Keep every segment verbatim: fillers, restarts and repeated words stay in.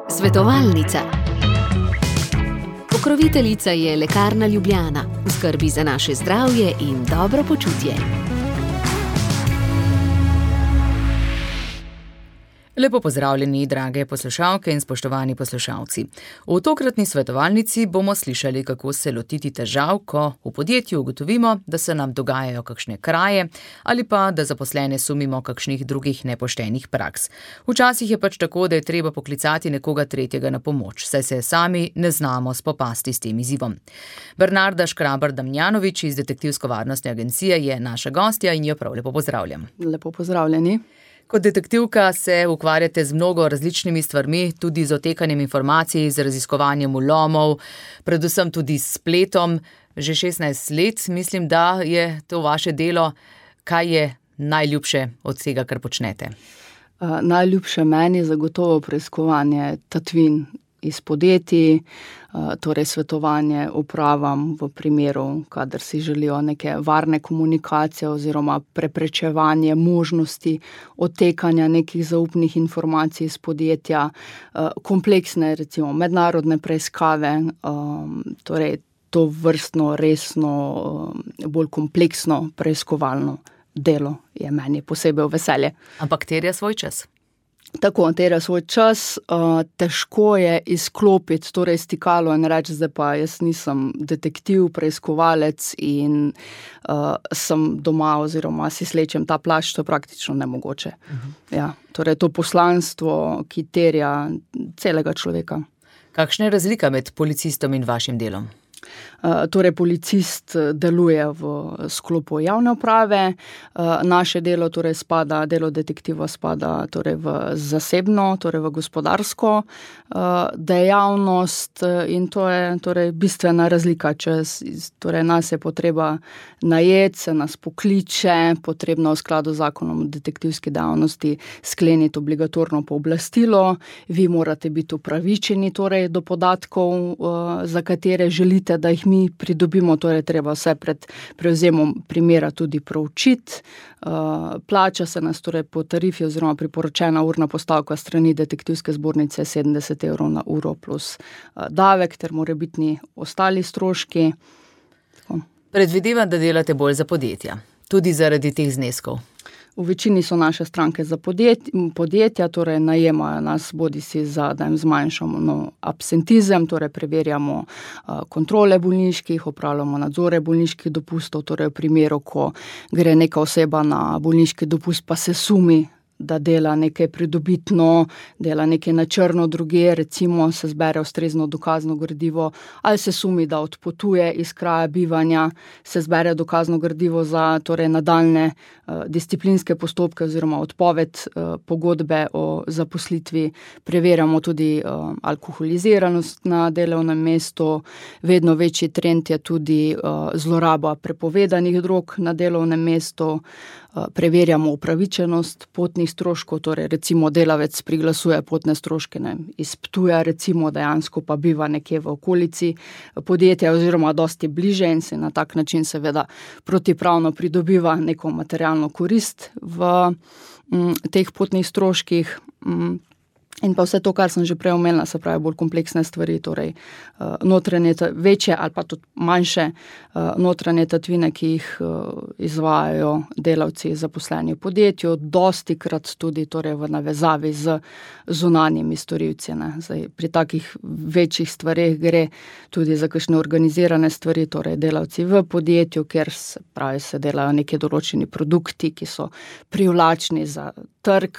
Svetovalnica. Pokroviteljica je Lekarna Ljubljana, v skrbi za naše zdravje in dobro počutje. Lepo pozdravljeni, drage poslušalke in spoštovani poslušalci. V tokratni svetovalnici bomo slišali, kako se lotiti težav, ko v podjetju ugotovimo, da se nam dogajajo kakšne kraje ali pa da zaposlene sumimo kakšnih drugih nepoštenih praks. Včasih je pač tako, da je treba poklicati nekoga tretjega na pomoč, saj se sami ne znamo spopasti s tem izzivom. Bernarda Škrabar-Damjanović iz Detektivsko-varnostne agencije je naša gostja in jo prav lepo pozdravljam. Lepo pozdravljeni. Kot detektivka se ukvarjate z mnogo različnimi stvarmi, tudi z otekanjem informacij, z raziskovanjem vlomov, predvsem tudi s spletom. Že šestnajst let mislim, da je to vaše delo. Kaj je najljubše od vsega, kar počnete? Uh, najljubše meni zagotovo preiskovanje tatvin iz podjetij, torej svetovanje upravam v primeru, kadar si želijo neke varne komunikacije oziroma preprečevanje možnosti odtekanja nekih zaupnih informacij iz podjetja, kompleksne, recimo mednarodne preiskave, torej to vrstno, resno, bolj kompleksno preiskovalno delo je meni posebej v veselje. Ampak terja svoj čas. Tako, terja svoj čas, uh, težko je izklopiti, torej stikalo in reči, zdaj pa jaz nisem detektiv, preiskovalec in uh, sem doma oziroma si slečem ta plašč, to je praktično nemogoče. Uh-huh. Ja, torej to poslanstvo, ki terja celega človeka. Kakšna je razlika med policistom in vašim delom? Torej, policist deluje v sklopu javne uprave, naše delo torej spada, delo detektiva spada torej v zasebno, torej v gospodarsko dejavnost in to je torej bistvena razlika, če torej nas je potreba najeti, se nas pokliče, potrebno v skladu z zakonom o detektivski dejavnosti skleniti obligatorno pooblastilo, vi morate biti upravičeni torej do podatkov, za katere želite, da jih mi pridobimo, torej treba vse pred prevzemom primera tudi proučiti. Plača se nas torej po tarifi oziroma priporočena urna postavka strani detektivske zbornice sedemdeset evrov na uro plus davek ter morebitni ostali stroški. Tako. Predvidevam, da delate bolj za podjetja, tudi zaradi teh zneskov. V večini so naše stranke za podjet, podjetja, torej najemajo nas bodisi za, da jim zmanjšamo no, absentizem, torej preverjamo uh, kontrole bolniških, opravljamo nadzore bolniških dopustov, torej v primeru, ko gre neka oseba na bolniški dopust, pa se sumi, da dela nekaj pridobitno, dela nekaj na črno druge, recimo se zbere ustrezno dokazno gradivo, ali se sumi, da odpotuje iz kraja bivanja, se zbere dokazno gradivo za torej nadaljne uh, disciplinske postopke oziroma odpoved uh, pogodbe o zaposlitvi, preverjamo tudi uh, alkoholiziranost na delovnem mestu, vedno večji trend je tudi uh, zloraba prepovedanih drog na delovnem mestu, uh, preverjamo upravičenost potnih stroškov, torej recimo delavec priglasuje potne stroške ne, iz Ptuja, recimo dejansko pa biva nekje v okolici podjetja oziroma dosti bliže in se na tak način seveda protipravno pridobiva neko materialno korist v m, teh potnih stroških. M, In pa vse to, kar sem že prej omenila, se pravi bolj kompleksne stvari, torej uh, notranje, večje ali pa tudi manjše uh, notranje tatvine, ki jih uh, izvajajo delavci zaposleni v podjetju, dosti krat tudi torej v navezavi z zunanjimi storilci. Ne. Zdaj, pri takih večjih stvareh gre tudi za kakšne organizirane stvari, torej delavci v podjetju, kjer se pravi se delajo neki določeni produkti, ki so privlačni za trg,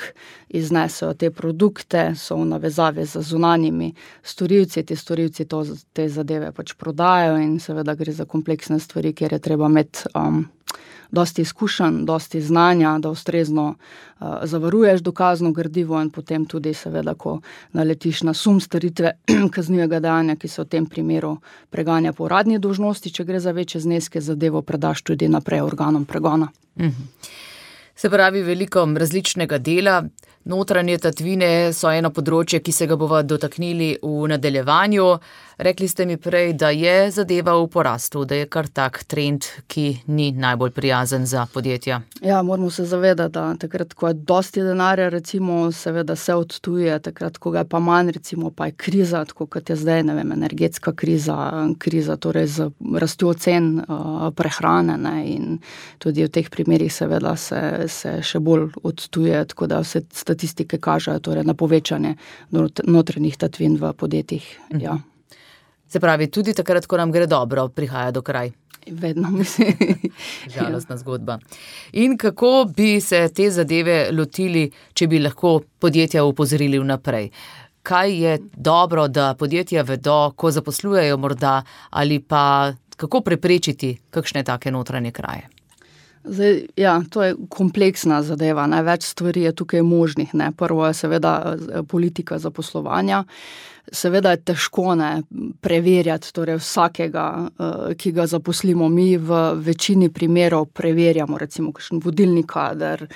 iznesejo te produkte, so v navezavi z zunanjimi storilci, ti storilci to, te zadeve pač prodajajo in seveda gre za kompleksne stvari, kjer je treba imeti um, dosti izkušenj, dosti znanja, da ustrezno uh, zavaruješ dokazno gradivo in potem tudi seveda, ko naletiš na sum storitve kaznivega dejanja, ki se v tem primeru preganja po uradni dolžnosti, če gre za večje zneske, zadevo predaš tudi naprej organom pregona. Mhm. Se pravi, veliko različnega dela. Notranje tatvine so eno področje, ki se ga bova dotaknili v nadaljevanju. Rekli ste mi prej, da je zadeva v porastu, da je kar tak trend, ki ni najbolj prijazen za podjetja. Ja, moramo se zavedati, da takrat, ko je dosti denarja, recimo, seveda se odtuje, takrat, ko ga je pa manj, recimo, pa je kriza, tako kot je zdaj, ne vem, energetska kriza, kriza torej z rastjo cen uh, prehrane, ne, in tudi v teh primerih seveda se, se še bolj odtuje, tako da vse statistike kažejo torej na povečanje not, notranjih tatvin v podjetjih, mhm. ja. Se pravi, tudi takrat, ko nam gre dobro, prihaja do kraj. Vedno, mislim. Žalostna zgodba. In kako bi se te zadeve lotili, če bi lahko podjetja opozorili vnaprej? Kaj je dobro, da podjetja vedo, ko zaposlujejo morda, ali pa kako preprečiti kakšne take notranje kraje? Zdaj, ja, to je kompleksna zadeva, ne, več stvari je tukaj možnih, ne. Prvo je seveda politika zaposlovanja. Seveda je težko, ne, preverjati torej vsakega, ki ga zaposlimo. Mi v večini primerov preverjamo, recimo, kakšen vodilni kader,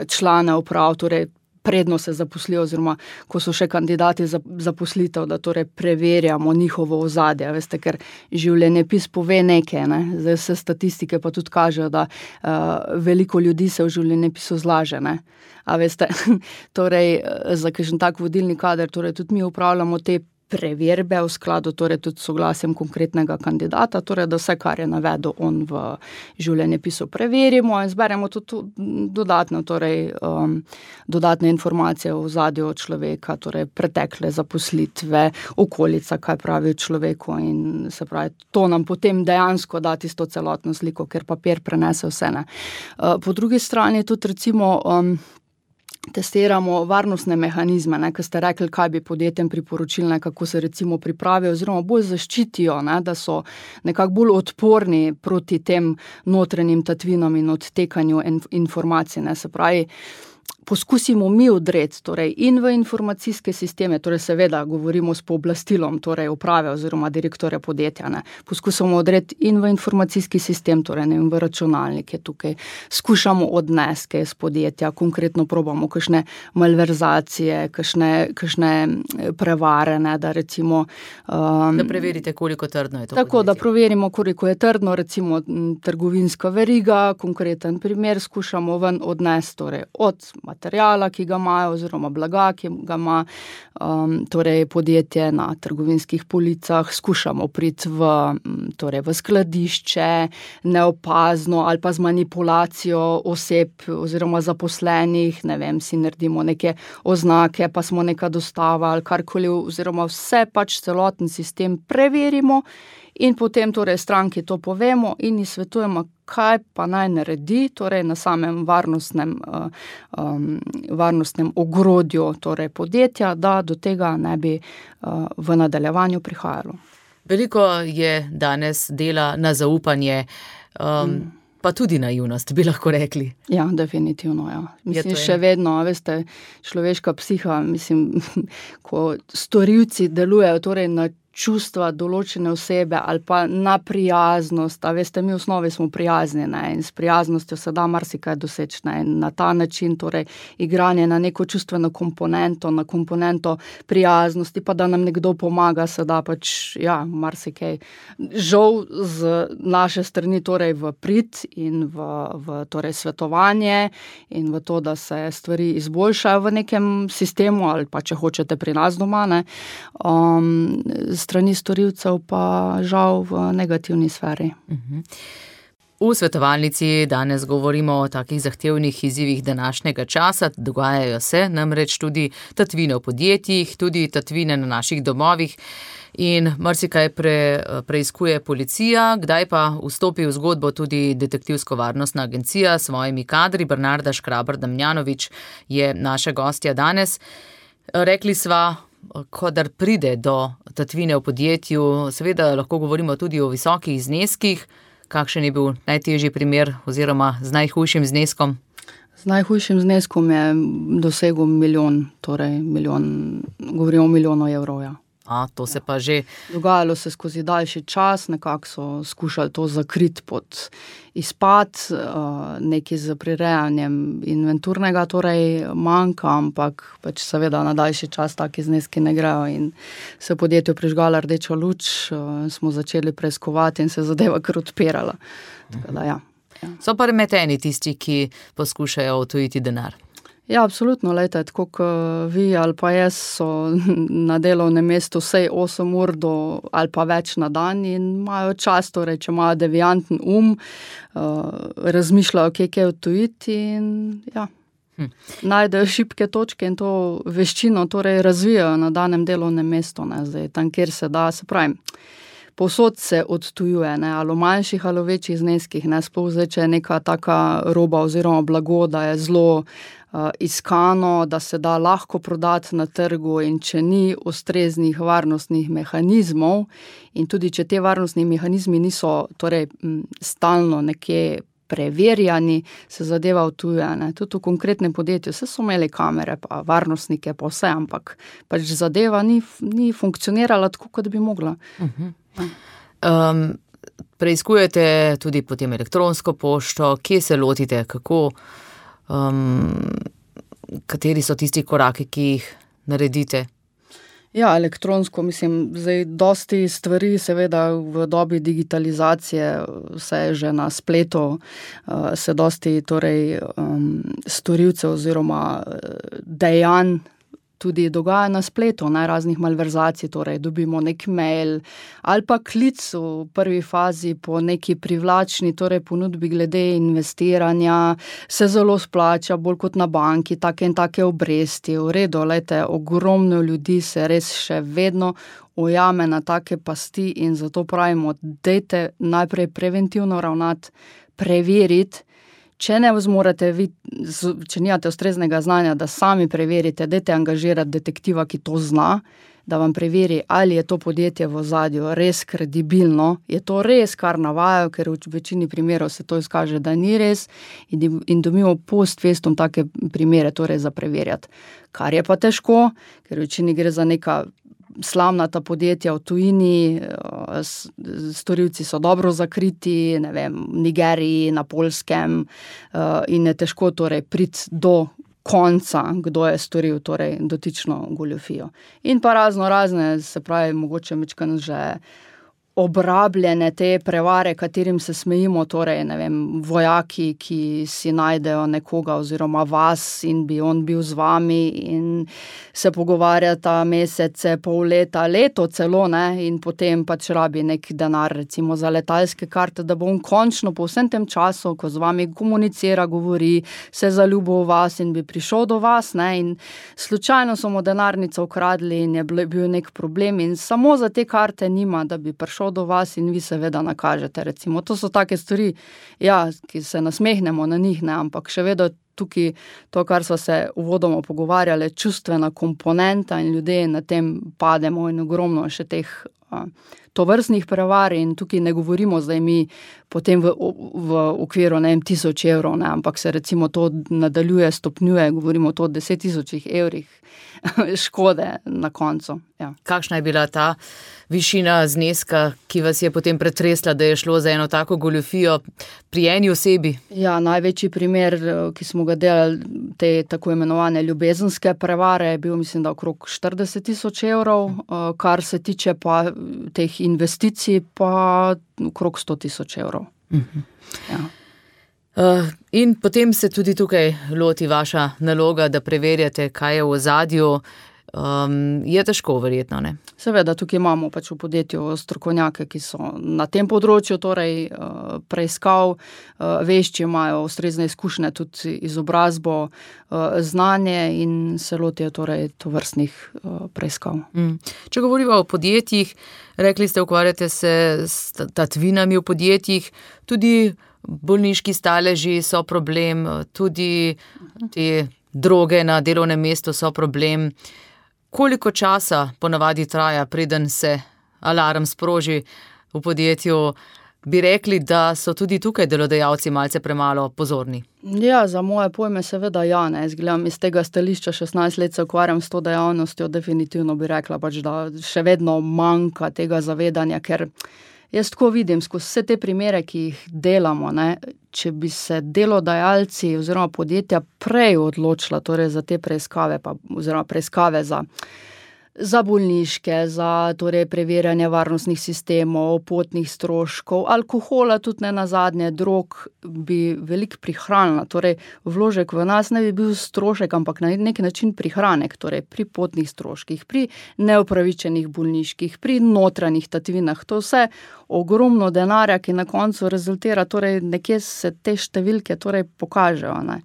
člane uprav, torej predno se zaposlijo, oziroma ko so še kandidati za zaposlitev, da torej preverjamo njihovo ozadje, veste, ker življenjepis pove nekaj, ne, zdaj vse statistike pa tudi kažejo, da uh, veliko ljudi se v življenjepisu zlaže, ne, a veste, torej za kakšen tak vodilni kader, torej tudi mi upravljamo te preverbe v skladu, torej tudi soglasjem konkretnega kandidata, torej da vse, kar je navedel on v življenjepisu, preverimo in zberemo tudi dodatne, torej um, dodatne informacije o ozadju človeka, torej pretekle zaposlitve, okolica, kaj pravi človeku, in se pravi, to nam potem dejansko da tisto celotno sliko, ker papir prenese vse, ne. Uh, po drugi strani tudi recimo um, testiramo varnostne mehanizme, ne, ko ste rekli, kaj bi podjetjem priporočili, ne, kako se recimo pripravijo oziroma bolj zaščitijo, ne, da so nekako bolj odporni proti tem notranjim tatvinom in odtekanju informacij, ne, se pravi, poskusimo mi odreti, torej in v informacijske sisteme, torej seveda govorimo s pooblastilom, torej uprave oziroma direktorja podjetja, ne, poskusimo odreti in v informacijski sistem, torej ne, v računalnike tukaj, skušamo odneske iz podjetja, konkretno probamo kakšne malverzacije, kakšne, kakšne prevare, ne, da recimo... Um, da preverite, koliko trdno je to tako, podjetje. Da preverimo, koliko je trdno, recimo trgovinska veriga, konkreten primer skušamo ven odnesti, torej od materijala, ki ga imajo, oziroma blaga, ki ga ima um, torej podjetje na trgovinskih policah, skušamo priti v, torej v skladišče, neopazno ali pa z manipulacijo oseb oziroma zaposlenih, ne vem, si naredimo neke oznake, pa smo neka dostava ali karkoli, oziroma vse pač celoten sistem preverimo in potem torej stranki to povemo in ji svetujemo, kaj pa naj naredi, torej na samem varnostnem, um, varnostnem ogrodju torej podjetja, da do tega ne bi uh, v nadaljevanju prihajalo. Veliko je danes dela na zaupanje, um, mm. pa tudi naivnost, bi lahko rekli. Ja, definitivno, ja. Mislim, še vedno, veste, človeška psiha, mislim, ko storilci delujejo torej na čustva določene osebe ali pa na prijaznost, a veste, mi v osnovi smo prijazni, ne, in s prijaznostjo se da marsikaj doseči, ne, in na ta način torej igranje na neko čustveno komponento, na komponento prijaznosti, pa da nam nekdo pomaga, se da pač, ja, marsikaj. Žal z naše strani torej v prid in v, v torej svetovanje in v to, da se stvari izboljšajo v nekem sistemu ali pa, če hočete, pri nas doma, ne, um, strani storilcev pa žal v negativni sferi. V svetovalnici danes govorimo o takih zahtevnih izzivih današnjega časa, dogajajo se namreč tudi tatvine v podjetjih, tudi tatvine na naših domovih in marsikaj pre, preiskuje policija, kdaj pa vstopi v zgodbo tudi detektivsko-varnostna agencija s svojimi kadri. Bernarda Škrabar-Damjanovič je naša gostja danes. Rekli sva, kadar pride do tatvine v podjetju, seveda lahko govorimo tudi o visokih zneskih. Kakšen je bil najtežji primer oziroma z najhujšim zneskom? Z najhujšim zneskom je dosegel milijon, torej milijon, govorimo o milijonu evrov, ja. A, to se pa že... Dogajalo se skozi daljši čas, nekako so skušali to zakriti pod izpad, nekaj z prirejanjem inventurnega, torej manjka, ampak pač seveda na daljši čas taki zneski ne grejo in se podjetju prižgala rdeča luč, smo začeli preiskovati in se zadeva kar odpirala. Tako da, ja. Ja. So pa remeteni tisti, ki poskušajo odtujiti denar. Ja, absolutno, lejte, tako kot vi ali pa jaz so na delovnem mestu vsej osem ur do, ali pa več na dan in imajo čas, torej, če imajo devianten um, uh, razmišljajo, kje je odtujiti in ja, hm. najdejo šibke točke in to veščino torej razvijajo na danem delovnem mestu, ne, zdaj tam, kjer se da, se pravim, povsod se odtujuje, ne, ali v manjših ali v večjih zneskih, ne, sploh zdaj, če je neka taka roba oziroma blago, da je zelo uh, iskano, da se da lahko prodati na trgu in če ni ustreznih varnostnih mehanizmov in tudi, če te varnostni mehanizmi niso torej m, stalno nekje preverjani, se zadeva odtuje, ne. Tudi v konkretnem podjetju, vse so imeli kamere, pa varnostnike, pa vse, ampak pač zadeva ni, ni funkcionirala tako, kot bi mogla. Uh-huh. Um, preiskujete tudi potem elektronsko pošto, kje se lotite, kako, um, kateri so tisti koraki, ki jih naredite? Ja, elektronsko, mislim, zdaj dosti stvari, seveda v dobi digitalizacije, vse je že na spletu, se dosti torej um, storilcev oziroma dejanj tudi dogaja na spletu, ne, raznih malverzacij, torej dobimo nek mail ali pa klic v prvi fazi po neki privlačni torej ponudbi glede investiranja, se zelo splača, bolj kot na banki, take in take obresti, v redu, lejte, ogromno ljudi se res še vedno ujame na take pasti in zato pravimo, dajte najprej preventivno ravnati, preveriti. Če ne zmorete, vi, če nimate ustreznega znanja, da sami preverite, dajte angažirati detektiva, ki to zna, da vam preveri, ali je to podjetje v ozadju res kredibilno, je to res, kar navajajo, ker v večini primerov se to izkaže, da ni res in, in dobimo post festum take primere torej za preverjati. Kar je pa težko, ker v večini gre za neka slamnata podjetja v tujini, storilci so dobro zakriti, ne vem, v Nigeriji, na Poljskem in je težko torej priti do konca, kdo je storil torej dotično goljufijo. In pa razno razne, se pravi, mogoče mečkan že obrabljene te prevare, katerim se smejimo, torej, ne vem, vojaki, ki si najdejo nekoga oziroma vas in bi on bil z vami in se pogovarjata mesece, pol leta, leto celo, ne, in potem pač rabi nek denar, recimo za letalske karte, da bo on končno po vsem tem času, ko z vami komunicira, govori, se zaljubil v vas in bi prišel do vas, ne, in slučajno so mu denarnico ukradli in je bil nek problem in samo za te karte nima, da bi prišel do vas in vi seveda nakažete, recimo. To so take stvari, ja, ki se nasmehnemo na njih, ne, ampak še vedno tukaj to, kar so se uvodoma pogovarjali, čustvena komponenta in ljudje na tem pademo in ogromno še teh a, tovrstnih prevar in tukaj ne govorimo zdaj mi potem v, v okviru, ne vem, tisoč evrov, ne, ampak se recimo to nadaljuje, stopnjuje, govorimo to o deset tisočih evrih škode na koncu. Ja. Kakšna je bila ta višina zneska, ki vas je potem pretresla, da je šlo za eno tako goljufijo pri eni osebi? Ja, največji primer, ki smo ga delali, te tako imenovane ljubezenske prevare, je bil, mislim, da okrog štirideset tisoč evrov, kar se tiče pa teh investicij, pa okrog sto tisoč evrov. Uh-huh. Ja. Uh, in potem se tudi tukaj loti vaša naloga, da preverjate, kaj je v ozadju. Um, je težko verjetno, ne? Seveda, tukaj imamo pač v podjetju strokovnjake, ki so na tem področju, torej uh, preiskav, uh, vešči imajo ustrezne izkušnje, tudi izobrazbo, uh, znanje in se lotijo torej tovrstnih uh, preiskav. Mm. Če govorimo o podjetjih, rekli ste, ukvarjate se s tatvinami v podjetjih, tudi bolniški staleži so problem, tudi te droge na delovnem mestu so problem. Koliko časa ponavadi traja, preden se alarm sproži v podjetju? bi rekli, da so tudi tukaj delodajalci malce premalo pozorni? Ja, za moje pojme seveda ja, ne. Jaz gledam iz tega stališča, šestnajst let se ukvarjam s to dejavnostjo, definitivno bi rekla pač, da še vedno manjka tega zavedanja, ker jaz tako vidim, skozi vse te primere, ki jih delamo, ne, če bi se delodajalci oziroma podjetja prej odločila torej za te preiskave, pa, oziroma preiskave za za bolniške, za torej preverjanje varnostnih sistemov, potnih stroškov, alkohola, tudi ne nazadnje, drog, bi veliko prihranila. Torej, vložek v nas ne bi bil strošek, ampak na nek način prihranek, torej pri potnih stroških, pri neupravičenih bolniških, pri notranjih tatvinah. To vse ogromno denarja, ki na koncu rezultira, torej nekje se te številke torej pokažejo, ne.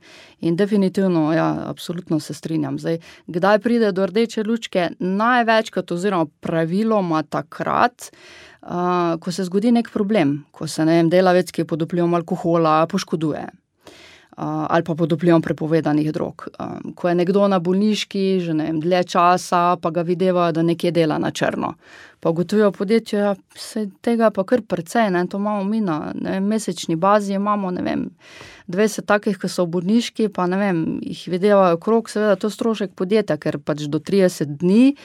In definitivno, ja, absolutno se strinjam. Zdaj, kdaj pride do rdeče lučke? Največkrat oziroma praviloma takrat, uh, ko se zgodi nek problem, ko se, ne vem, delavec, ki je pod vplivom alkohola, poškoduje. Uh, ali pa pod vplivom prepovedanih drog. Um, ko je nekdo na bolniški, že ne vem, dlje časa, pa ga videvajo, da nekje dela na črno. Pa ugotovijo podjetje, ja, se tega pa kar precej, ne, to imamo mi na ne, mesečni bazi, imamo, ne vem, dvajset takih, ki so v bolniški, pa ne vem, jih videvajo krog, seveda to strošek podjetja, ker pač do trideset dni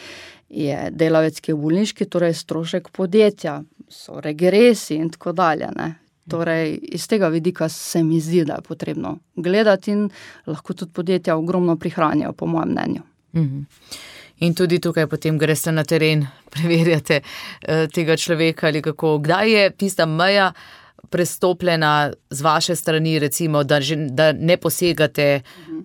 je delavec, ki je v bolniški, torej strošek podjetja, so regresi in tako dalje, ne. Torej, iz tega vidika se mi zdi, da je potrebno gledati in lahko tudi podjetja ogromno prihranijo, po mojem mnenju. Mhm. In tudi tukaj potem greste na teren, preverjate eh, tega človeka ali kako. Kdaj je tista meja prestopljena z vaše strani, recimo, da, že, da ne posegate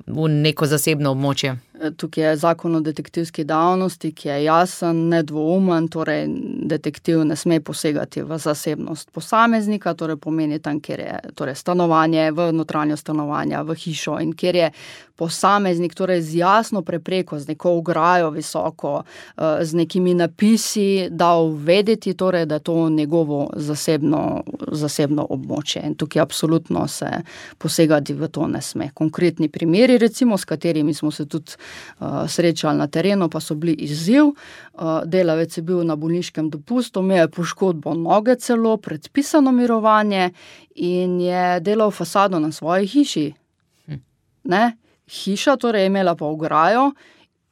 v neko zasebno območje? Tukaj je zakon o detektivski dejavnosti, ki je jasen, nedvoumen, torej detektiv ne sme posegati v zasebnost posameznika, torej pomeni tam, kjer je torej stanovanje, v notranjo stanovanja, v hišo in kjer je posameznik torej z jasno prepreko, z neko ograjo visoko, z nekimi napisi dal vedeti, torej, da je to njegovo zasebno, zasebno območje. In tukaj absolutno se posegati v to ne sme. Konkretni primeri, recimo, s katerimi smo se tudi uh, srečali na terenu, pa so bili izziv. Uh, delavec je bil na bolniškem dopustu, imel je poškodbo noge celo, predpisano mirovanje in je delal fasado na svoji hiši. Hm. Ne? Hiša torej je imela pa ograjo,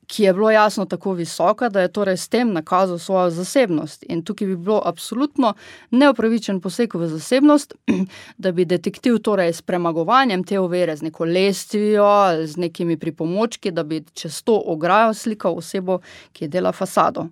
ki je bilo jasno tako visoka, da je torej s tem nakazal svojo zasebnost. In tukaj bi bilo absolutno neupravičen poseg v zasebnost, da bi detektiv torej s premagovanjem te ovire, z neko lestvijo, z nekimi pripomočki, da bi čez to ograjo slikal osebo, ki je dela fasado.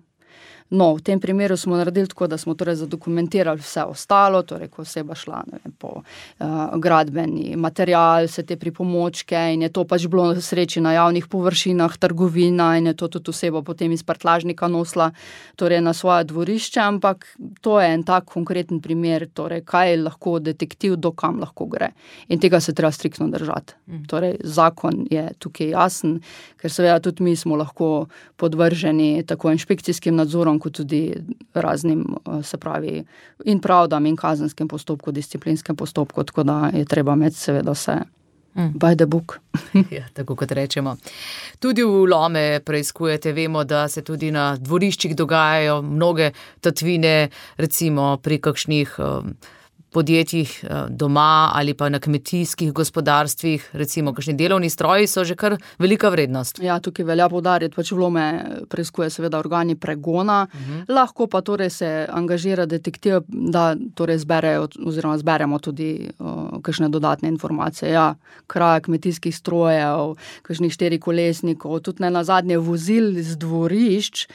No, v tem primeru smo naredili tako, da smo torej zadokumentirali vse ostalo, torej ko oseba šla, ne vem, po uh, gradbeni material, vse te pripomočke in je to pač bilo sreči na javnih površinah, trgovina in je to tudi oseba potem iz prtljažnika nosila torej na svoje dvorišče, ampak to je en tak konkreten primer, torej kaj lahko detektiv, do kam lahko gre. In tega se treba striktno držati. Mm. Torej zakon je tukaj jasen, ker seveda tudi mi smo lahko podvrženi tako inšpekcijskim nadzorom, kot tudi raznim, se pravi, in pravdam in kazenskem postopku, disciplinskem postopku, tako da je treba imeti seveda vse mm. by the book. Ja, tako kot rečemo. Tudi vlome preiskujete, vemo, da se tudi na dvoriščih dogajajo mnoge tatvine, recimo pri kakšnih um, podjetjih doma ali pa na kmetijskih gospodarstvih, recimo kakšni delovni stroji so že kar velika vrednost. Ja, tukaj velja poudariti, pač vlome preiskuje seveda organi pregona, uh-huh. lahko pa torej se angažira detektiv, da torej zberejo oziroma zberemo tudi uh, kakšne dodatne informacije. Ja, kraja kmetijskih strojev, kakšnih štirikolesnikov, tudi ne nazadnje vozil z dvorišč.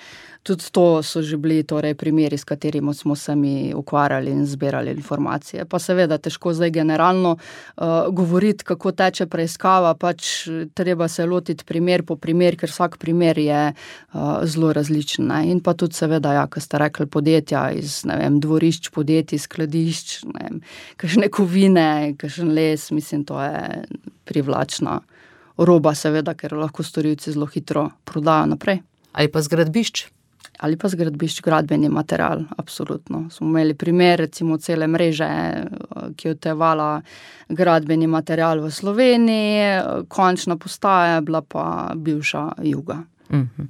Tudi to so že bili torej primeri, s katerimi smo se mi ukvarjali in zbirali informacije. Pa seveda težko zdaj generalno uh, govoriti, kako teče preiskava, pač treba se lotiti primer po primer, ker vsak primer je uh, zelo različen. Ne? In pa tudi seveda, ja, ko ste rekli, podjetja iz, ne vem, dvorišč, podjetij, skladišč, ne vem, kakšne kovine, kakšen les, mislim, to je privlačna roba seveda, ker lahko storilci zelo hitro prodajo naprej. Ali pa zgradbišč? Ali pa zgradbišč, gradbeni material, absolutno. Smo imeli primer, recimo cele mreže, ki je odtevala gradbeni material v Sloveniji, končna postaja je bila pa bivša Juga. Mhm.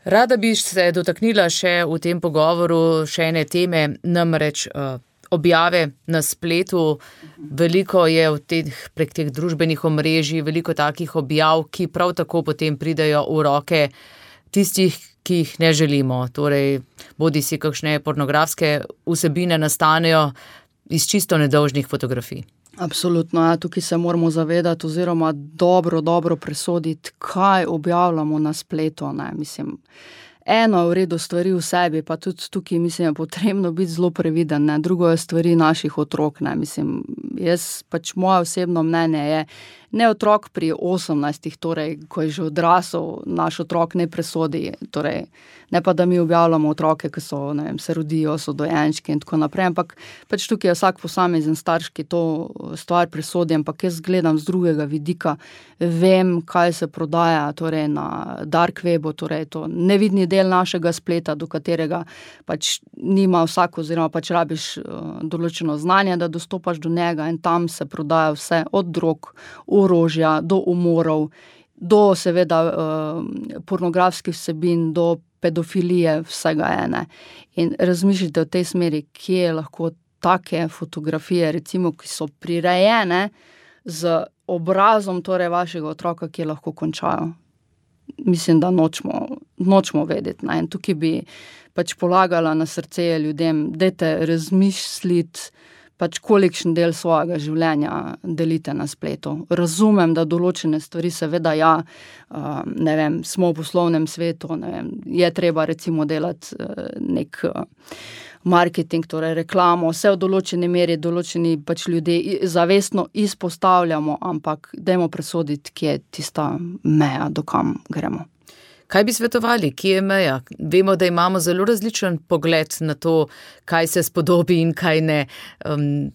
Rada bi se dotaknila še v tem pogovoru še ene teme, namreč uh, objave na spletu, veliko je v teh, prek teh družbenih omrežij, veliko takih objav, ki prav tako potem pridejo v roke tistih, ki jih ne želimo. Torej, bodi si kakšne pornografske vsebine nastanejo iz čisto nedolžnih fotografij. Absolutno, ja, tukaj se moramo zavedati oziroma dobro, dobro presoditi, kaj objavljamo na spletu, ne, mislim. Eno je v redu stvari v sebi, pa tudi tukaj mislim, je potrebno biti zelo previden, ne. Drugo je stvari naših otrok, ne. Mislim, jaz pač moje osebno mnenje je, ne otrok pri osemnajstih, torej, ko je že odrasel, naš otrok ne presodi, torej, ne pa, da mi objavljamo otroke, ki so, ne vem, se rodijo, so dojenčki in tako naprej, ampak pač tukaj je vsak posamezen starš, ki to stvar presodi, ampak jaz gledam z drugega vidika, vem, kaj se prodaja, torej, na dark webu, torej, to nevidni del našega spleta, do katerega pač nima vsak, oziroma pač rabiš uh, določeno znanje, da dostopaš do njega in tam se prodaja vse od drog, orožja, do umorov, do seveda uh, pornografskih vsebin, do pedofilije, vsega ene. In razmišljate v tej smeri, kje lahko take fotografije, recimo, ki so prirejene z obrazom torej vašega otroka, ki lahko končajo. Mislim, da nočemo, nočemo vedeti. Ne? In tukaj bi pač polagala na srce ljudem, dajte razmisliti, pač kolikšen del svojega življenja delite na spletu. Razumem, da določene stvari seveda ja, ne vem, smo v poslovnem svetu, ne vem, je treba recimo delati nek marketing, torej reklamo, vse v določeni meri, določeni pač ljudje zavestno izpostavljamo, ampak dajmo presoditi, kje je tista meja, do kam gremo. Kaj bi svetovali, kje je meja? Vemo, da imamo zelo različen pogled na to, kaj se spodobi in kaj ne. Um,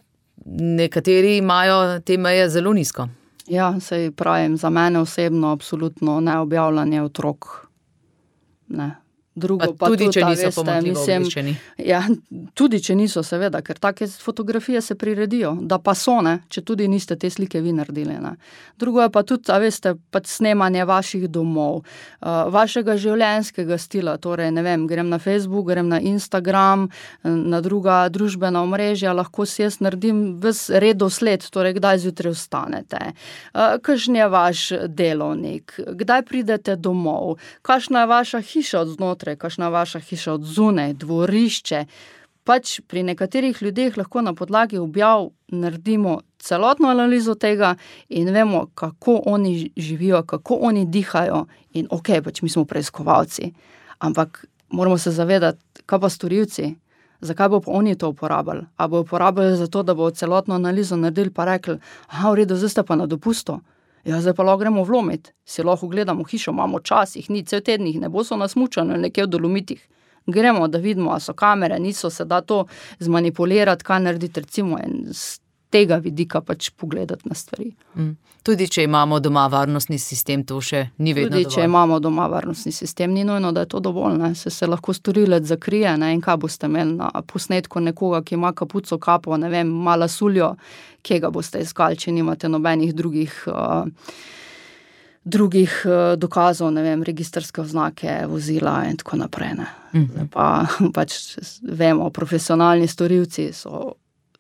nekateri imajo te meje zelo nizko. Ja, sej pravim, za mene osebno absolutno neobjavljanje otrok. Ne. Drugo, pa, pa tudi, če niso pomanjkljivo obveščeni. Ja, tudi, če niso, seveda, ker take fotografije se priredijo, da pa so, ne, če tudi niste te slike vi naredili. Ne. Drugo je pa tudi, a veste, pač snemanje vaših domov, uh, vašega življenjskega stila, torej, ne vem, grem na Facebook, grem na Instagram, na druga družbena omrežja, lahko si jaz naredim ves redosled, torej, kdaj zjutraj vstanete, uh, kakšen je vaš delovnik, kdaj pridete domov, kakšna je vaša hiša od znotraj, kakšna vaša hiša od zunaj, dvorišče. Pač pri nekaterih ljudeh lahko na podlagi objav naredimo celotno analizo tega in vemo, kako oni živijo, kako oni dihajo in ok, pač mi smo preiskovalci. Ampak moramo se zavedati, kaj pa storilci, zakaj bo pa oni to uporabljali? A bo uporabljali zato, da bo celotno analizo naredili pa rekli, aha, v redu, zdaj ste pa na dopustu. Ja, zdaj pa lahko gremo vlomiti, si lahko gledamo hišo, imamo čas, jih ni cel teden, jih ne bo so nasmučani nekje v Dolomitih. Gremo, da vidimo, a so kamere, niso, se da to zmanipulirati, kaj narediti, recimo, in z tega vidika pač pogledati na stvari. Mm. Tudi, če imamo doma varnostni sistem, to še ni vedno Tudi, dovolj. če imamo doma varnostni sistem, ni nujno, da je to dovolj, ne. Se, se lahko storilec zakrije, ne, in kaj boste imeli na posnetku nekoga, ki ima kapuco, kapo, ne vem, mala suljo, kje ga boste iskali, če nimate nobenih drugih, uh, drugih uh, dokazov, ne vem, registrske oznake, vozila in tako naprej, ne. Mm-hmm. Pa pač vemo, profesionalni storilci so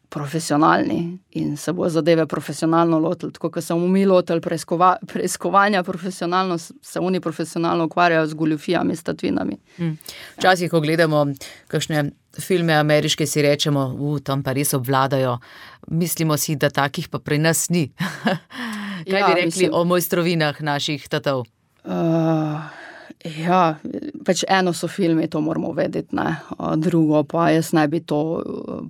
profesionalni in se bo zadeve profesionalno lotili, tako kot smo mi lotili preiskova, preiskovanja profesionalno, se oni profesionalno ukvarjajo z goljufijami, s tatvinami. Hmm. Včasih, ko gledamo kakšne filme ameriške, si rečemo, u, tam pa res obvladajo. Mislimo si, da takih pa pri nas ni. Kaj ja, bi rekli mislim, o mojstrovinah naših tatov? Uh... Ja, pač eno so filmi, to moramo vedeti, ne. Drugo pa jaz ne bi to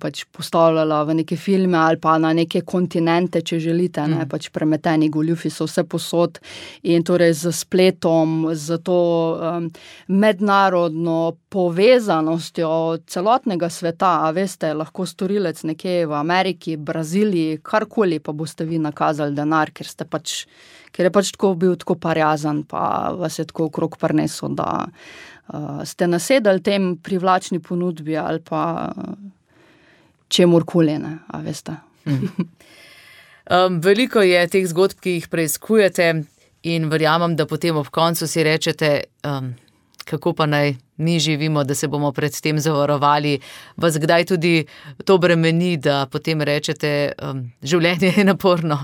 pač postavljala v neke filme ali pa na neke kontinente, če želite, ne, mm. pač premeteni goljufi so vse posod in torej z spletom, z to um, mednarodno povezanostjo celotnega sveta, a veste, lahko storilec nekje v Ameriki, Braziliji, karkoli, pa boste vi nakazali denar, ker ste pač ker je pač tako bil tako parjazan, pa vas je tako okrog prinesel, da uh, ste nasedali tem privlačni ponudbi ali pa uh, čemurkoli, ne, a veste. Mm. um, veliko je teh zgodb, ki jih preiskujete in verjamem, da potem ob koncu si rečete, um, kako pa naj mi živimo, da se bomo pred tem zavarovali. Vas kdaj tudi to bremeni, da potem rečete, um, življenje je naporno?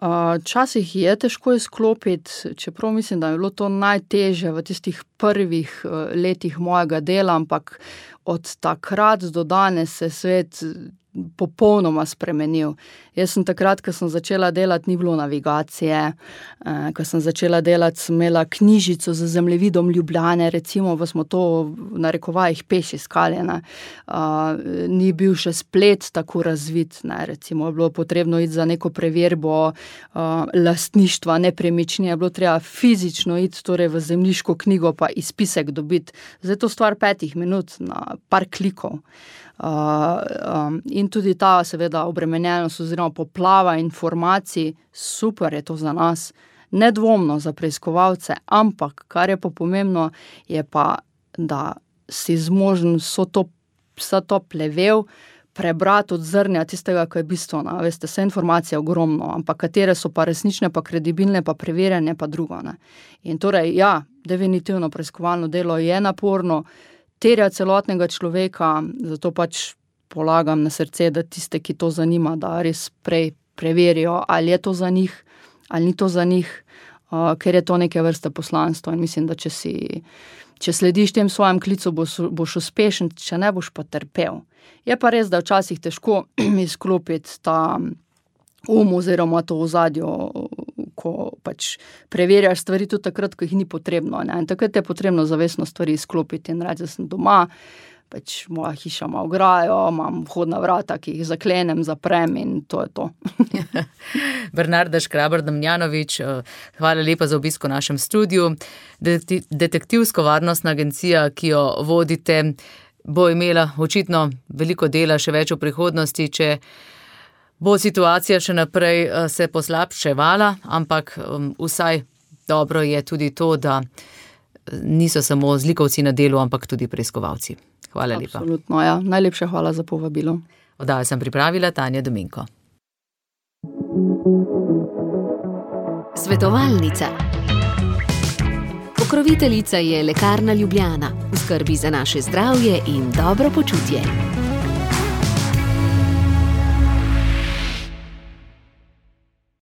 Včasih je težko izklopiti, čeprav mislim, da je bilo to najtežje v tistih prvih letih mojega dela, ampak od takrat do danes se svet popolnoma spremenil. Jaz sem takrat, ko sem začela delati, ni bilo navigacije, ko sem začela delati, sem imela knjižico z zemljevidom Ljubljane, recimo, pa smo to v narekovajih peš iskali, ne. Ni bil še splet tako razvit, ne, recimo, je bilo potrebno iti za neko preverbo lastništva nepremičnine, je bilo treba fizično iti, torej v zemljiško knjigo pa izpisek dobiti. Zdaj je to stvar petih minut, na par klikov. Uh, um, in tudi ta seveda obremenjenost oziroma poplava informacij, super je to za nas, nedvomno za preiskovalce, ampak kar je pa pomembno, je pa, da si zmožen vso to, vsa to plevel prebrati od zrnja tistega, kaj je bistveno. Veste, vse informacije je ogromno, ampak katere so pa resnične, pa kredibilne, pa preverjene, pa drugo, ne. In torej, ja, definitivno preiskovalno delo je naporno, terja celotnega človeka, zato pač polagam na srce, da tiste, ki to zanima, da res prej preverijo, ali je to za njih, ali ni to za njih, uh, ker je to neke vrste poslanstvo in mislim, da če si, če slediš tem svojem klicu, boš, boš uspešen, če ne boš pa trpel. Je pa res, da včasih težko izklopiti ta um oziroma to ozadje, ko pač preverjaš stvari tudi takrat, ko jih ni potrebno, ne. In takrat je potrebno zavestno stvari izklopiti in reči, da sem doma, pač moja hiša ima ograjo, imam vhodna vrata, ki jih zaklenem, zaprem in to je to. Bernarda Škrabar-Damjanović, hvala lepa za obisk v našem studiu. Detektivsko-varnostna agencija, ki jo vodite, bo imela očitno veliko dela, še več v prihodnosti, če bo situacija še naprej se poslabševala, ampak um, vsaj dobro je tudi to, da niso samo zlikovci na delu, ampak tudi preiskovalci. Hvala lepa. Absolutno, ja. Najlepša hvala za povabilo. Oddajo sem pripravila Tanja Dominko. Svetovalnica. Pokroviteljica je Lekarna Ljubljana. V skrbi za naše zdravje in dobro počutje.